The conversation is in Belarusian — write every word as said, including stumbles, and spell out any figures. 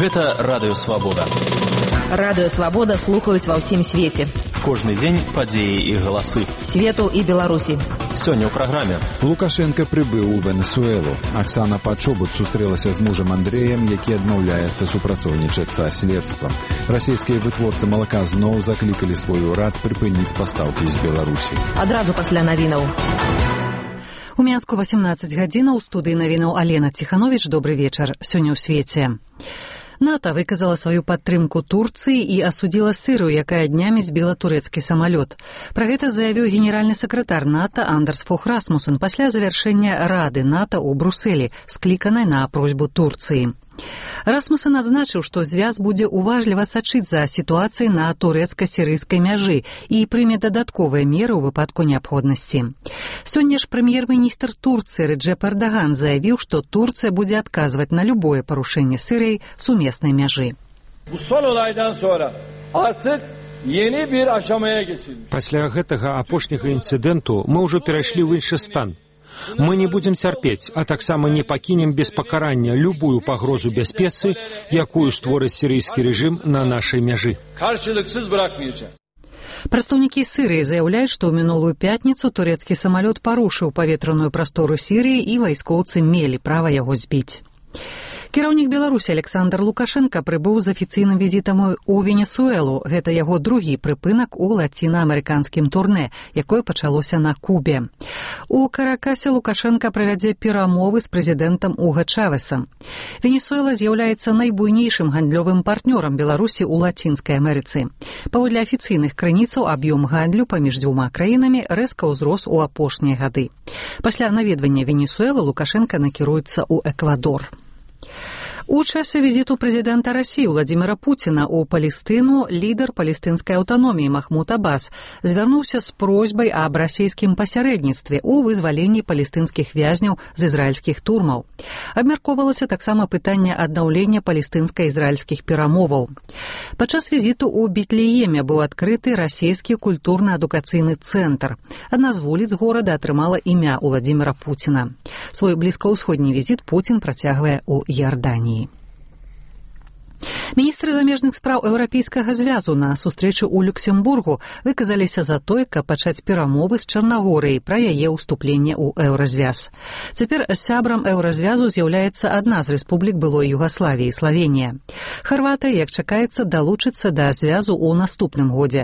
Гэта Радыё Свабода. Радыё Свабода слухаюць ва ўсім свеце. Кожны дзень падзеі і галасы. Свету і Беларусі. Сёння ў праграме. Лукашенко прыбыў у Венесуэлу. Аксана Пачобут сустрэлася з мужам Андрэем, які адмаўляецца супрацоўнічаць са следствам. Расійскія вытворцы малака зноў заклікалі свой урад прыпыніць пастаўкі з Беларусі. Адразу пасля навінаў. У Мінску васемнаццаць гадзінаў, у студыі навінаў Алена Ціхановіч. Добры вечар. Сёння ў свеце. НАТО выказала сваю падтрымку Турцыі і асудзіла Сырыю, якая днямі збіла турэцкі самалёт. Пра гэта заявіў генеральны сакратар НАТО Андерс Фох Расмуссен пасля завяршэння Рады НАТО ў Брусэлі, скліканай на просьбу Турцыі. Расмуссен адзначыў, што звяз будзе уважліва сачыць за сітуацыяй на турэцка-сірыйскай мяжы і прыме дадатковыя меры ў выпадку неабходнасці. Сёння ж прэм'ер-міністр Турцыі Реджеп Эрдоган заявіў, што Турцыя будзе адказваць на любое парушэнне Сырыяй сумеснай мяжы. Пасля гэтага апошняга інцыдэнту мы ўжо перайшлі ў іншы стан. Мы не будзем цярпець, а таксама не пакінем без пакарання любую пагрозу бяспецы, якую створыць сірыйскі рэжым на нашай мяжы. Прадстаўнікі Сырыі заяўляюць, што ў мінулую пятніцу турэцкі самалёт парушыў паветраную прастору Сірыі і вайскоўцы мелі права яго збіць. Кіраўнік Беларусі Александр Лукашенко прыбыў з афіцыйным візітам у Венесуэлу. Гэта яго другі прыпынак у лацінаамерыканскім турнэ, якое пачалося на Кубе. У Каракасе Лукашенко правядзе перамовы з прэзідэнтам Уга Чавесам. Венесуэла з'яўляецца найбуйнейшым гандлёвым партнёрам Беларусі ў Лацінскай Амерыцы. Паводле афіцыйных крыніцаў, аб'ём гандлю паміж дзвюма краінамі рэзка ўзрос у апошнія гады. Пасля наведвання Венесуэлы Лукашенко накіруецца ў Эквадор. У часе візіту прэзідэнта Расіі Владзіміра Пуціна ў Палестыну лідар палестынскай аўтаноміі Махмуд Аббас звярнуўся з просьбай аб расійскім пасярэдніцтве ў вызваленні палестынскіх вязняў з ізраільскіх турмаў. Абмяркоўвалася таксама пытанне аднаўлення палестынска-ізраільскіх перамоваў. Падчас візіту ў Бетлееме быў адкрыты расійскі культурна-адукацыйны цэнтр. Адна з вуліц горада атрымала імя Владзіміра Пуціна. Свой блізкаўсходні візіт Пуцін працягвае ў Іарданіі. Міністры замежных спраў Еўрапейскага звязу на сустрэчы ў Люксембургу выказаліся за тое, каб пачаць перамовы з Чарнагорыяй пра яе ўступленне ў Еўразвяз. Цяпер сябрам Еўразвязу з'яўляецца адна з рэспублік былой Югаславіі – Славенія. Харватыя, як чакаецца, далучыцца да звязу ў наступным годзе.